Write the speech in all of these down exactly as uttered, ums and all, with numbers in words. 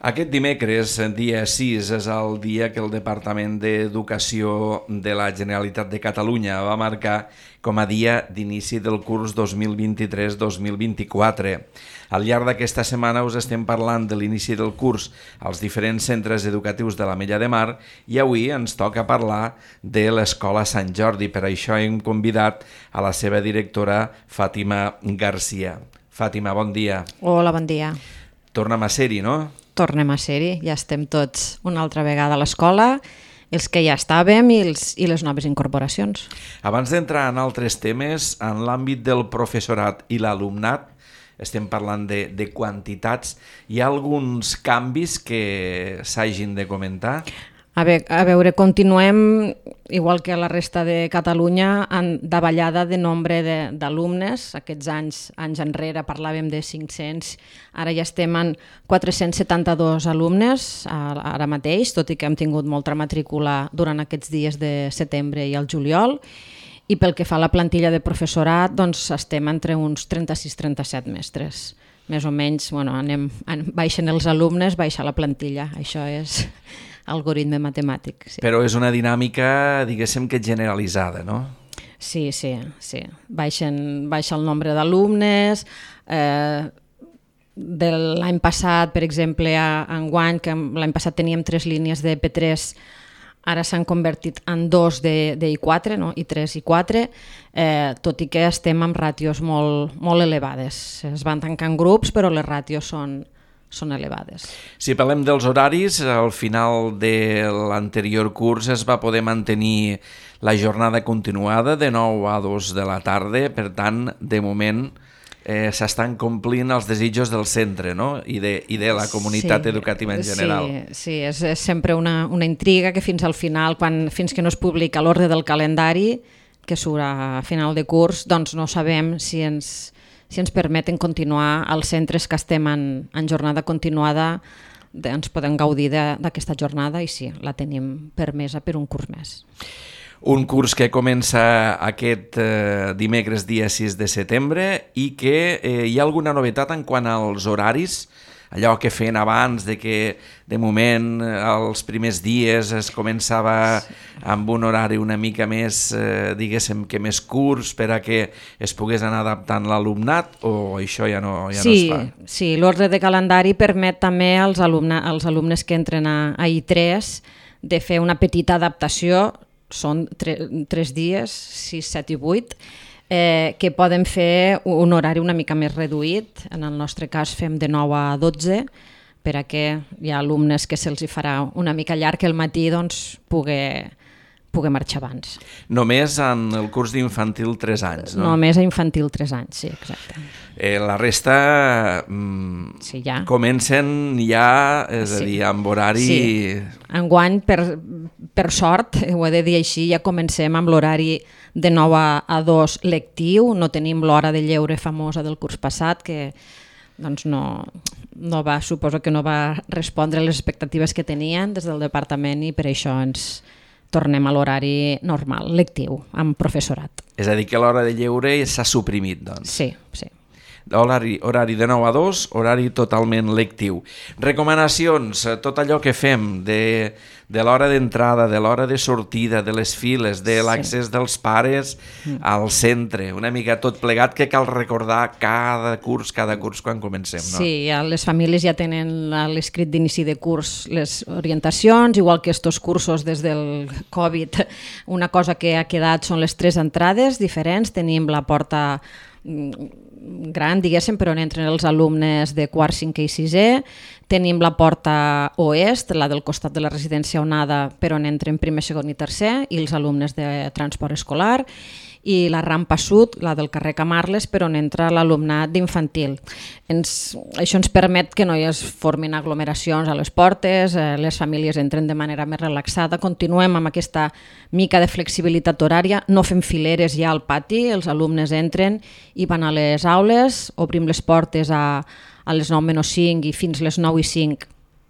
Aquest dimecres, dia sis, és el dia que el Departament d'Educació de la Generalitat de Catalunya va marcar com a dia d'inici del curs dos mil vint-i-tres dos mil vint-i-quatre. Al llarg d'aquesta setmana us estem parlant de l'inici del curs als diferents centres educatius de l'Ametlla de Mar i avui ens toca parlar de l'Escola Sant Jordi. Per això hem convidat a la seva directora, Fàtima Garcia. Fàtima, bon dia. Hola, bon dia. Tornem a ser-hi, no? Tornem a ser-hi, ja estem tots una altra vegada a l'escola, els que ja estàvem i, els, i les noves incorporacions. Abans d'entrar en altres temes, en l'àmbit del professorat i l'alumnat, estem parlant de, de quantitats, hi ha alguns canvis que s'hagin de comentar? A, ve, a veure, continuem, igual que a la resta de Catalunya, en davallada de nombre d'alumnes. Aquests anys, anys enrere parlàvem de cinc-cents, ara ja estem en quatre-cents setanta-dos alumnes ara mateix, tot i que hem tingut molta matrícula durant aquests dies de setembre i el juliol. I pel que fa a la plantilla de professorat, doncs estem entre uns trenta-sis trenta-set mestres. Més o menys, bueno, anem, baixen els alumnes, baixa la plantilla. Això és algoritme matemàtic. Sí. Però és una dinàmica, diguéssim, que generalitzada, no? Sí, sí, sí. Baixen, baixa el nombre d'alumnes. Eh, de l'any passat, per exemple, a enguany, que l'any passat teníem tres línies de P tres, ara s'han convertit en dos de, de I quatre, no? I tres i quatre, eh, tot i que estem amb ràtios molt, molt elevades. Es van tancant grups, però les ràtios són, són elevades. Si parlem dels horaris, al final de l'anterior curs es va poder mantenir la jornada continuada de nou a dos de la tarda, per tant, de moment eh, s'estan complint els desitjos del centre, no? I, de, i de la comunitat sí, educativa en general. Sí, sí és, és sempre una, una intriga que fins al final, quan, fins que no es publica l'ordre del calendari, que surt a final de curs, doncs no sabem si ens... si ens permeten continuar als centres que estem en, en jornada continuada, de, ens podem gaudir d'aquesta jornada i sí, la tenim permesa per un curs més. Un curs que comença aquest eh, dimecres dia sis de setembre i que eh, hi ha alguna novetat en quant als horaris, allò que feien abans, de que de moment els primers dies es començava amb un horari una mica més, eh, diguéssim, que més curts per a que es pogués anar adaptant l'alumnat, o això ja no, ja sí, no es fa? Sí, l'ordre de calendari permet també als, alumne, als alumnes que entren a, a I tres de fer una petita adaptació, són tre, tres dies, sis, set i vuit, Eh, que poden fer un horari una mica més reduït. En el nostre cas fem de nou a dotze, per a que hi ha alumnes que se'ls farà una mica llarg el matí, doncs poder, poder marxar abans. Només en el curs d'infantil tres anys, no? Només a infantil tres anys, sí, exacte. Eh, la resta mm, sí, ja. Comencen ja, és sí. a dir, amb horari... Sí. Enguany, per, per sort, ho he de dir així, ja comencem amb l'horari de nou a dos lectiu, no tenim l'hora de lleure famosa del curs passat, que doncs no, no va, suposo que no va respondre a les expectatives que tenien des del departament i per això ens tornem a l'horari normal, lectiu, amb professorat. És a dir, que l'hora de lleure s'ha suprimit, doncs. Sí, sí. Horari, horari de nou a dos, horari totalment lectiu. Recomanacions, tot allò que fem de, de l'hora d'entrada, de l'hora de sortida, de les files, de l'accés sí. dels pares al centre, una mica tot plegat que cal recordar cada curs, cada curs quan comencem. No? Sí, ja les famílies ja tenen l'escrit d'inici de curs, les orientacions, igual que estos cursos des del Covid. Una cosa que ha quedat són les tres entrades diferents, tenim la porta gran, diguéssim, per on entren els alumnes de quart, cinquè i sisè. Tenim la porta oest, la del costat de la residència Onada, per on entren primer, segon i tercer, i els alumnes de transport escolar. I la rampa sud, la del carrer Camarles, per on entra l'alumnat d'infantil. Ens, això ens permet que no hi es formin aglomeracions a les portes, eh, les famílies entren de manera més relaxada, continuem amb aquesta mica de flexibilitat horària, no fem fileres ja al pati, els alumnes entren i van a les aules, obrim les portes a, a les nou menys cinc i fins les nou i cinc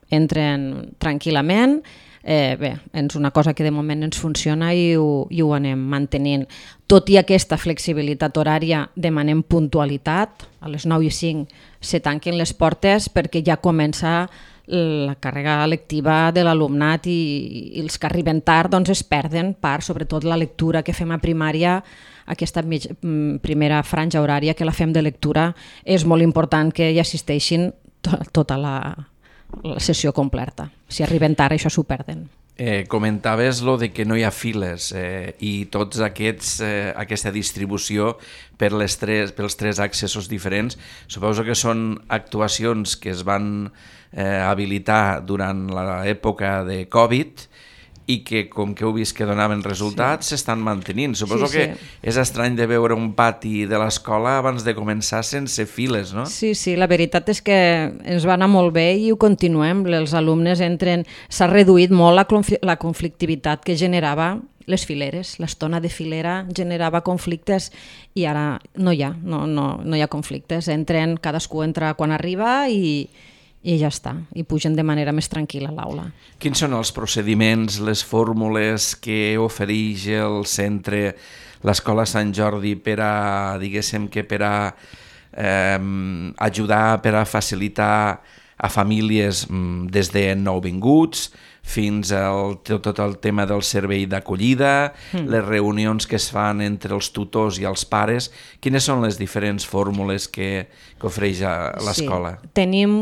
entren tranquil·lament. Eh, bé, és una cosa que de moment ens funciona i ho, i ho anem mantenint. Tot i aquesta flexibilitat horària, demanem puntualitat. A les nou i cinc se tanquen les portes perquè ja comença la càrrega lectiva de l'alumnat i, i els que arriben tard doncs, es perden part, sobretot la lectura que fem a primària, aquesta mig, primera franja horària que la fem de lectura, és molt important que hi assisteixin to, tota la, la sessió completa. Si arriben tard això s'ho perden. Eh, comentaves lo de que no hi ha files eh, i tots aquests, eh, aquesta distribució per les tres, pels tres accessos diferents. Suposo que són actuacions que es van eh, habilitar durant l'època de Covid i que, com que heu vist que donaven resultats, s'estan sí. mantenint. Suposo sí, sí. que és estrany de veure un pati de l'escola abans de començar sense files, no? Sí, sí, la veritat és que ens va anar molt bé i ho continuem. Els alumnes entren... S'ha reduït molt la, la conflictivitat que generava les fileres. L'estona de filera generava conflictes i ara no hi ha, no, no, no hi ha conflictes. Entren, cadascú entra quan arriba i... i ja està, i pugen de manera més tranquil·la a l'aula. Quins són els procediments, les fórmules que ofereix el centre, l'Escola Sant Jordi, per a, diguéssim, que per a eh, ajudar, per a facilitar a famílies des de nouvinguts fins al tot el tema del servei d'acollida, mm. les reunions que es fan entre els tutors i els pares? Quines són les diferents fórmules que, que ofereix l'escola? Sí. Tenim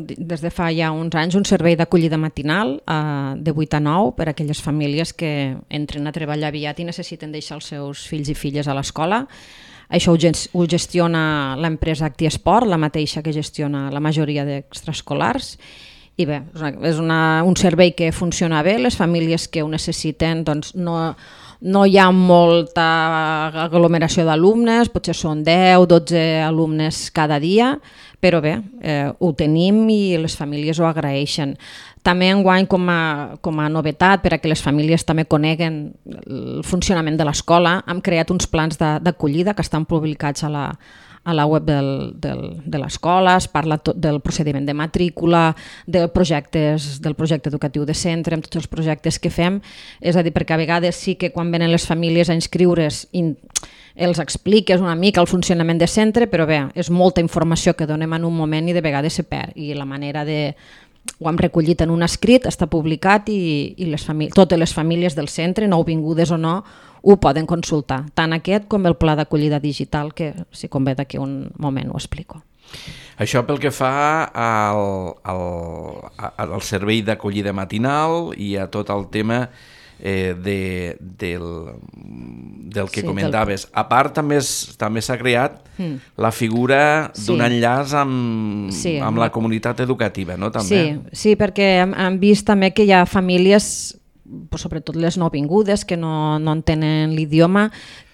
des de fa ja uns anys un servei d'acollida matinal eh, de vuit a nou per a aquelles famílies que entren a treballar aviat i necessiten deixar els seus fills i filles a l'escola. Això ho gestiona l'empresa ActiEsport, la mateixa que gestiona la majoria d'extraescolars. I bé, és una, un servei que funciona bé, les famílies que ho necessiten, doncs no, no hi ha molta aglomeració d'alumnes, potser són deu, dotze alumnes cada dia, però bé, eh, ho tenim i les famílies ho agraeixen. També enguany com a, com a novetat, per a que les famílies també coneguen el funcionament de l'escola, hem creat uns plans d'acollida que estan publicats a la, a la web del, del, de l'escola. Es parla tot del procediment de matrícula, de projectes, del projecte educatiu de centre, amb tots els projectes que fem. És a dir, perquè a vegades sí que quan venen les famílies a inscriure's in, els expliques una mica el funcionament de centre, però bé, és molta informació que donem en un moment i de vegades se perd. I la manera de... Ho hem recollit en un escrit, està publicat i, i les famí- totes les famílies del centre, nouvingudes o no, ho poden consultar, tant aquest com el pla d'acollida digital, que si convé d'aquí un moment ho explico. Això pel que fa al, al, al servei d'acollida matinal i a tot el tema eh, de, del, del que sí, comentaves. Del... A part, també també s'ha creat mm. la figura d'un sí. enllaç amb, sí, amb la comunitat educativa, no? També. Sí, sí, perquè hem, hem vist també que hi ha famílies, sobretot les nouvingudes que no, no entenen l'idioma,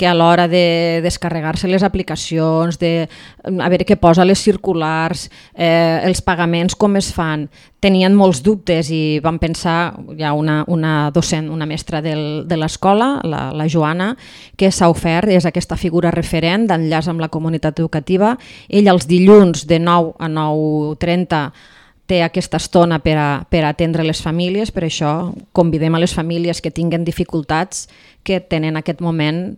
que a l'hora de descarregar-se les aplicacions, de a veure què posa les circulars, eh, els pagaments com es fan, tenien molts dubtes i van pensar, hi ha una, una docent, una mestra del, de l'escola, la, la Joana, que s'ha ofert, és aquesta figura referent d'enllaç amb la comunitat educativa. Ella els dilluns de nou a nou trenta té aquesta estona per a, per a atendre les famílies, per això convidem a les famílies que tinguen dificultats, que tenen aquest moment,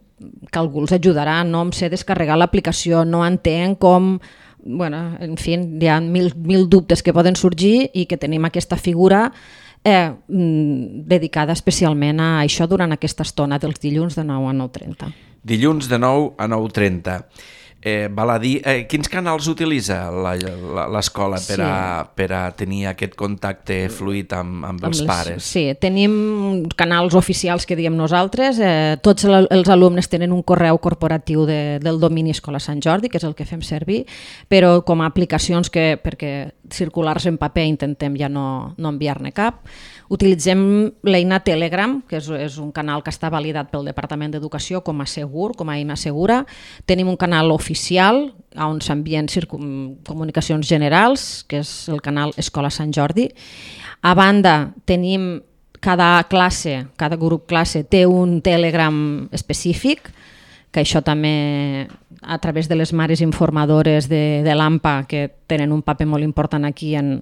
que algú els ajudarà, no em sé descarregar l'aplicació, no entenc com... Bueno, en fi, hi ha mil, mil dubtes que poden sorgir i que tenim aquesta figura eh, dedicada especialment a això durant aquesta estona dels dilluns de nou a nou trenta. Dilluns de nou a nou trenta. Eh, val a dir, eh, quins canals utilitza l'escola per, sí. a, per a tenir aquest contacte fluid amb, amb, amb els les, pares? Sí, tenim canals oficials que diem nosaltres. Eh, tots els alumnes tenen un correu corporatiu de, del domini Escola Sant Jordi, que és el que fem servir, però com a aplicacions que, perquè circulars en paper intentem ja no, no enviar-ne cap. Utilitzem l'eina Telegram, que és, és un canal que està validat pel Departament d'Educació com a segur, com a eina segura. Tenim un canal oficial on s'envien comunicacions generals, que és el canal Escola Sant Jordi. A banda, tenim cada classe, cada grup classe té un Telegram específic, que això també a través de les mares informadores de, de l'A M P A, que tenen un paper molt important aquí en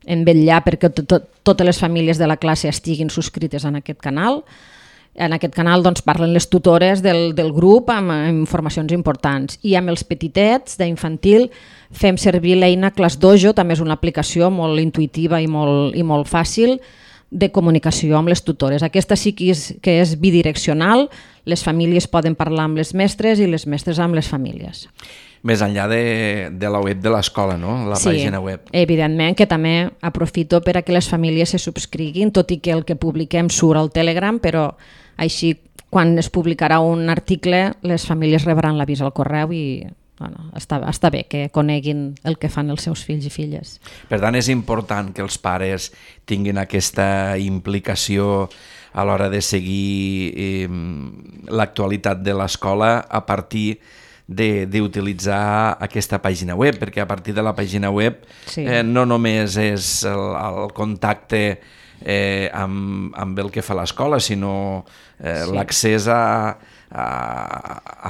en vetllar perquè to, to, totes les famílies de la classe estiguin subscrites en aquest canal. En aquest canal doncs, parlen les tutores del, del grup amb, amb informacions importants. I amb els petitets d'infantil fem servir l'eina ClassDojo, també és una aplicació molt intuïtiva i molt, i molt fàcil de comunicació amb les tutores. Aquesta sí que és, que és bidireccional, les famílies poden parlar amb les mestres i les mestres amb les famílies. Més enllà de, de la web de l'escola, no? La sí, pàgina web. Evidentment que també aprofito per a que les famílies se subscriguin, tot i que el que publiquem surt al Telegram, però així quan es publicarà un article les famílies rebran l'avís al correu i bueno, està, està bé que coneguin el que fan els seus fills i filles. Per tant, és important que els pares tinguin aquesta implicació a l'hora de seguir eh, l'actualitat de l'escola a partir d'utilitzar aquesta pàgina web, perquè a partir de la pàgina web sí. eh, no només és el, el contacte eh, amb, amb el que fa l'escola, sinó eh, sí. l'accés a, a,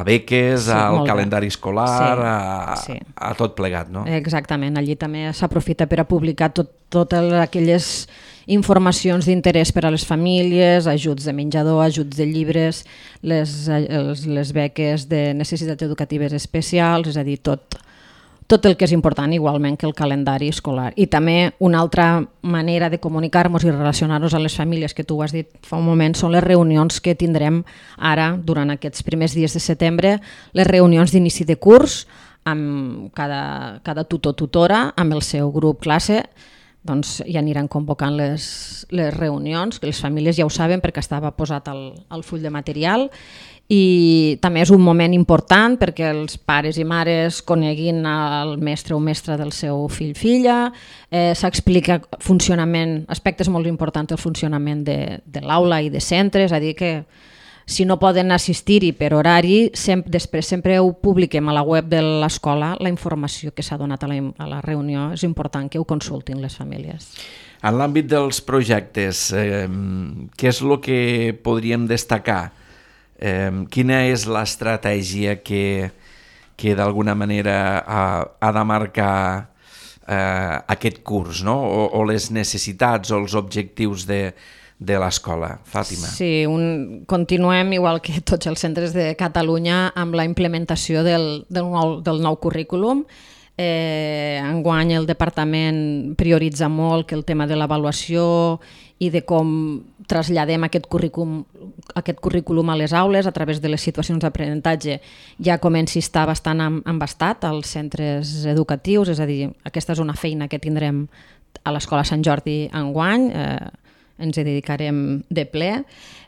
a beques, sí, al calendari escolar, sí. A, sí. a tot plegat. No? Exactament, allí també s'aprofita per a publicar tot, totes aquelles informacions d'interès per a les famílies, ajuts de menjador, ajuts de llibres, les, les, les beques de necessitats educatives especials, és a dir, tot, tot el que és important, igualment que el calendari escolar. I també una altra manera de comunicar-nos i relacionar-nos amb les famílies, que tu ho has dit fa un moment, són les reunions que tindrem ara, durant aquests primers dies de setembre, les reunions d'inici de curs, amb cada, cada tutor-tutora, amb el seu grup classe, doncs ja aniran convocant les, les reunions, que les famílies ja ho saben perquè estava posat al, al full de material, i també és un moment important perquè els pares i mares coneguin el mestre o mestra del seu fill-filla, eh, s'explica funcionament, aspectes molt importants del funcionament de, de l'aula i de centres, és a dir que si no poden assistir-hi per horari, sempre, després sempre ho publiquem a la web de l'escola, la informació que s'ha donat a la, a la reunió, és important que ho consultin les famílies. En l'àmbit dels projectes, eh, què és el que podríem destacar? Eh, quina és l'estratègia que, que d'alguna manera ha, ha de marcar eh, aquest curs, no? o, o les necessitats o els objectius de, de l'escola? Fàtima. Sí, un, continuem, igual que tots els centres de Catalunya, amb la implementació del, del, nou, del nou currículum. Eh, enguany el departament prioritza molt que el tema de l'avaluació i de com traslladem aquest currículum, aquest currículum a les aules a través de les situacions d'aprenentatge ja comenci a estar bastant embastat als centres educatius, és a dir, aquesta és una feina que tindrem a l'Escola Sant Jordi enguany, eh, ens hi dedicarem de ple,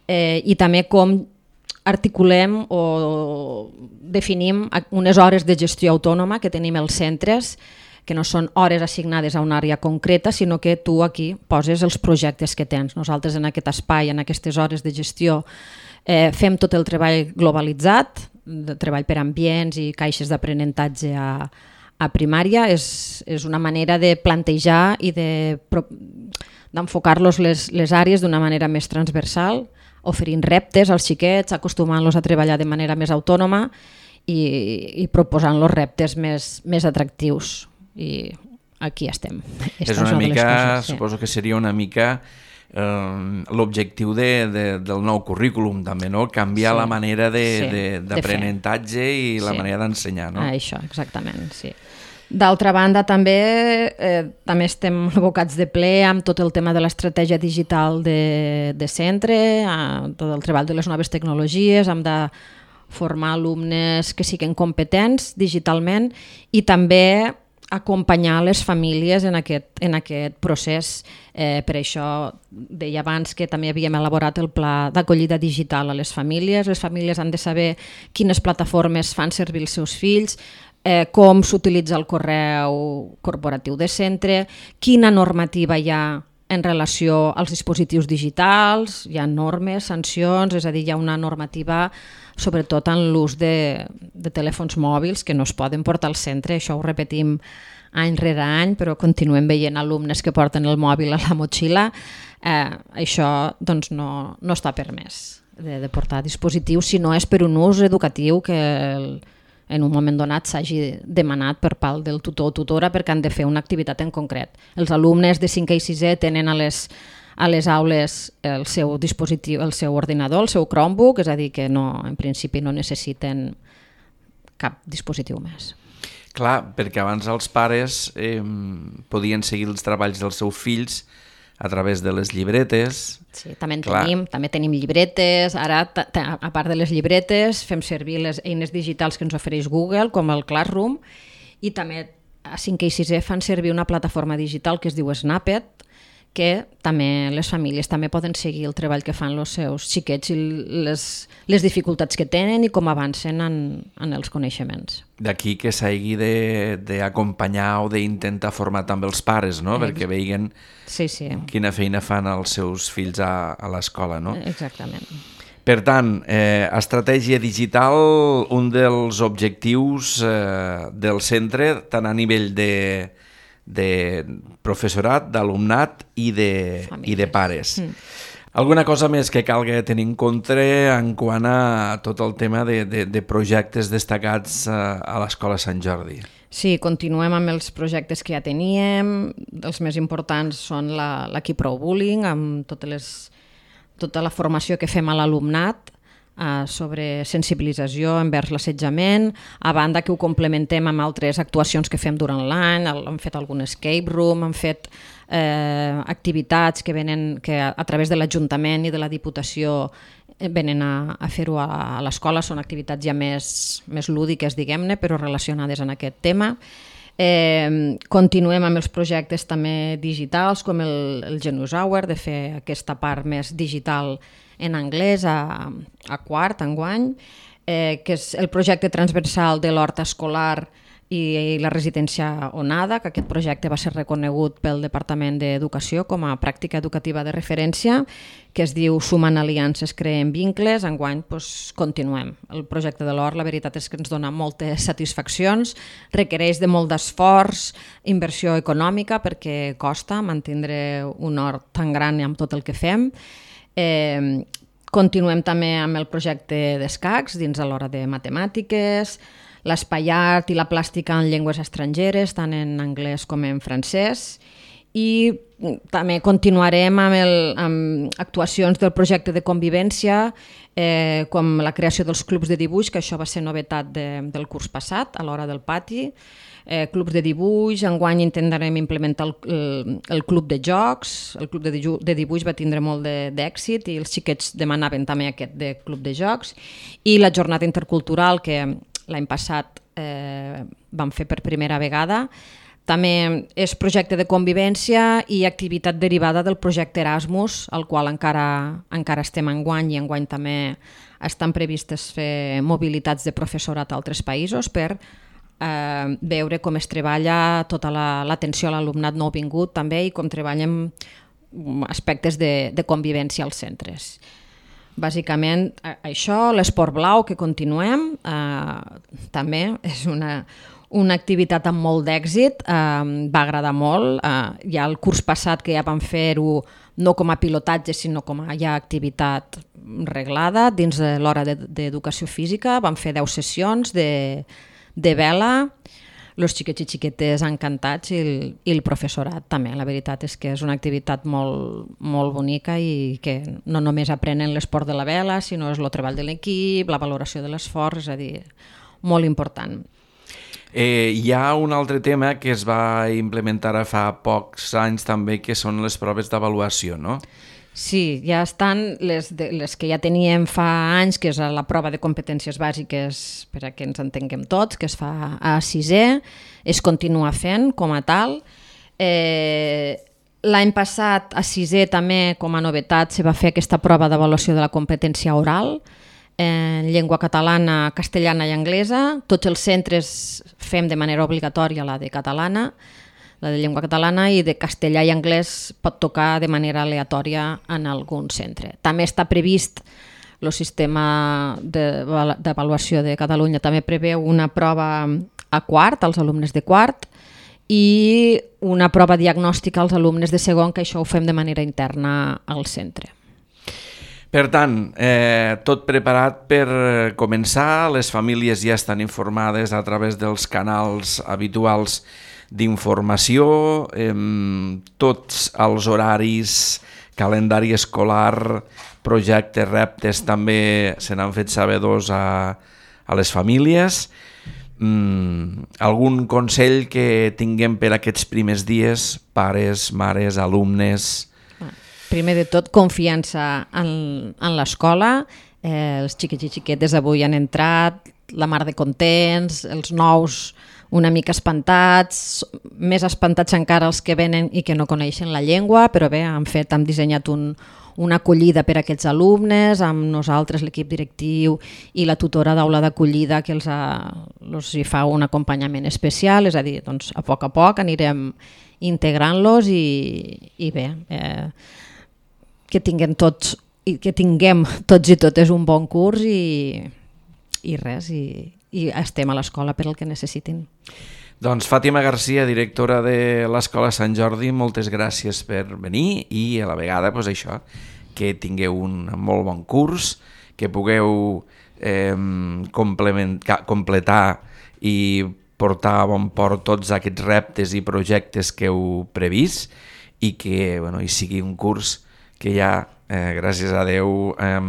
eh, i també com articulem o definim unes hores de gestió autònoma que tenim els centres, que no són hores assignades a una àrea concreta, sinó que tu aquí poses els projectes que tens. Nosaltres en aquest espai, en aquestes hores de gestió, eh, fem tot el treball globalitzat, de treball per ambients i caixes d'aprenentatge a, a primària. És, és una manera de plantejar i de d'enfocar-los les, les àrees d'una manera més transversal, oferint reptes als xiquets, acostumant-los a treballar de manera més autònoma i, i proposant-los reptes més, més atractius. I aquí estem. Esta és una és mica, coses, sí. Suposo que seria una mica eh, l'objectiu de, de, del nou currículum també, no? Canviar sí. la manera d'aprenentatge sí. i la sí. manera d'ensenyar. No? Ah, això, exactament, sí. D'altra banda, també, eh, també estem abocats de ple amb tot el tema de l'estratègia digital de, de centre, tot el treball de les noves tecnologies, hem de formar alumnes que siguin competents digitalment i també acompanyar les famílies en aquest, en aquest procés. Eh, per això deia abans que també havíem elaborat el pla d'acollida digital a les famílies. Les famílies han de saber quines plataformes fan servir els seus fills, eh, com s'utilitza el correu corporatiu de centre, quina normativa hi ha en relació als dispositius digitals, hi ha normes, sancions, és a dir, hi ha una normativa sobretot en l'ús de, de telèfons mòbils que no es poden portar al centre, això ho repetim any rere any, però continuem veient alumnes que porten el mòbil a la motxilla, eh, això doncs, no, no està permès de, de portar dispositius si no és per un ús educatiu que el, en un moment donat s'hagi demanat per part del tutor o tutora perquè han de fer una activitat en concret. Els alumnes de cinquè i sisè tenen a les, a les aules el seu dispositiu, el seu ordinador, el seu Chromebook, és a dir, que no, en principi no necessiten cap dispositiu més. Clar, perquè abans els pares eh, podien seguir els treballs dels seus fills a través de les llibretes. Sí, també en tenim, també tenim llibretes. Ara, a part de les llibretes, fem servir les eines digitals que ens ofereix Google, com el Classroom, i també a cinquè i sisè fan servir una plataforma digital que es diu Snappet, que també les famílies també poden seguir el treball que fan els seus xiquets i les, les dificultats que tenen i com avancen en, en els coneixements. D'aquí que s'hagi d'acompanyar o d'intentar formar també els pares, no? Eh, perquè veiguen sí, sí. quina feina fan els seus fills a, a l'escola, no? Exactament. Per tant, eh, estratègia digital, un dels objectius eh, del centre, tant a nivell de de professorat, d'alumnat i, de, i de pares. Mm. Alguna cosa més que calga tenir en compte en quant a tot el tema de, de, de projectes destacats a, a l'Escola Sant Jordi? Sí, continuem amb els projectes que ja teníem. Els més importants són l'Equip Prou Bullying, amb totes les, tota la formació que fem a l'alumnat, sobre sensibilització envers l'assetjament, a banda que ho complementem amb altres actuacions que fem durant l'any, hem fet algun escape room, hem fet eh, activitats que venen que a, a través de l'Ajuntament i de la Diputació venen a, a fer-ho a, a l'escola, són activitats ja més, més lúdiques, diguem-ne, però relacionades amb aquest tema. Eh, continuem amb els projectes també digitals, com el, el Genius Hour, de fer aquesta part més digital en anglès a, a quart, enguany, eh, que és el projecte transversal de l'hort escolar i, i la residència Onada, que aquest projecte va ser reconegut pel Departament d'Educació com a pràctica educativa de referència, que es diu Sumant aliances, creen vincles. Enguany doncs, continuem. El projecte de l'hort, la veritat és que ens dona moltes satisfaccions, requereix de molt d'esforç, inversió econòmica, perquè costa mantenir un hort tan gran amb tot el que fem. Eh, continuem també amb el projecte d'escacs dins a l'hora de matemàtiques, l'espai art i la plàstica en llengües estrangeres, tant en anglès com en francès, i també continuarem amb, el, amb actuacions del projecte de convivència, eh, com la creació dels clubs de dibuix, que això va ser novetat de, del curs passat, a l'hora del pati, eh, clubs de dibuix. Enguany intentarem implementar el, el, el club de jocs, el club de, dibuix, de dibuix va tindre molt d'èxit i els xiquets demanaven també aquest de club de jocs, i la jornada intercultural que l'any passat eh, vam fer per primera vegada. També és projecte de convivència i activitat derivada del projecte Erasmus, al qual encara, encara estem enguany, i enguany també estan previstes fer mobilitats de professorat a altres països per eh, veure com es treballa tota l'atenció la, a l'alumnat nouvingut també i com treballem aspectes de, de convivència als centres. Bàsicament això, l'esport blau que continuem, eh, també és una... una activitat amb molt d'èxit, eh, va agradar molt. Eh, ja el curs passat que ja vam fer-ho no com a pilotatge, sinó com a ja activitat reglada dins de l'hora d'educació física. Vam fer deu sessions de, de vela, els xiquets i xiquetes encantats i el, i el professorat també. La veritat és que és una activitat molt, molt bonica i que no només aprenen l'esport de la vela, sinó és el treball de l'equip, la valoració de l'esforç, és a dir, molt important. Eh, hi ha un altre tema que es va implementar fa pocs anys també, que són les proves d'avaluació, no? Sí, ja estan les, de, les que ja teníem fa anys, que és la prova de competències bàsiques, per a que ens entenguem tots, que es fa a sisè, es continua fent com a tal. Eh, L'any passat, a sisè també, com a novetat, se va fer aquesta prova d'avaluació de la competència oral, en llengua catalana, castellana i anglesa. Tots els centres fem de manera obligatòria la de catalana, la de llengua catalana, i de castellà i anglès pot tocar de manera aleatòria en algun centre. També està previst el sistema d'avaluació de Catalunya, també preveu una prova a quart, als alumnes de quart, i una prova diagnòstica als alumnes de segon, que això ho fem de manera interna al centre. Per tant, eh, tot preparat per començar, les famílies ja estan informades a través dels canals habituals d'informació, eh, tots els horaris calendari escolar, projectes, reptes, també se n'han fet sabedors a, a les famílies. Mm, algun consell que tinguem per aquests primers dies, pares, mares, alumnes? Primer de tot, confiança en, en l'escola. Eh, els xiquets i xiquetes avui han entrat, la mar de contents, els nous una mica espantats, més espantats encara els que venen i que no coneixen la llengua, però bé, han fet, han dissenyat un, una acollida per a aquests alumnes, amb nosaltres, l'equip directiu i la tutora d'aula d'acollida que els, ha, els hi fa un acompanyament especial, és a dir, doncs, a poc a poc anirem integrant-los i, i bé, eh, que tinguem tots i que tinguem tots i totes un bon curs i, i res, i, i estem a l'escola per el que necessitin. Doncs Fàtima Garcia, directora de l'Escola Sant Jordi, moltes gràcies per venir i a la vegada pues, això, que tingueu un molt bon curs, que pugueu eh, completar i portar a bon port tots aquests reptes i projectes que heu previst i que bueno, hi sigui un curs que ja, eh, gràcies a Déu, eh,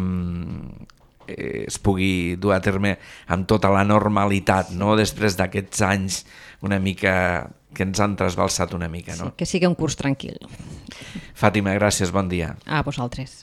es pugui dur a terme amb tota la normalitat, no? Després d'aquests anys una mica que ens han trasbalsat una mica. No? Sí, que sigui un curs tranquil. Fàtima, gràcies, bon dia. A vosaltres.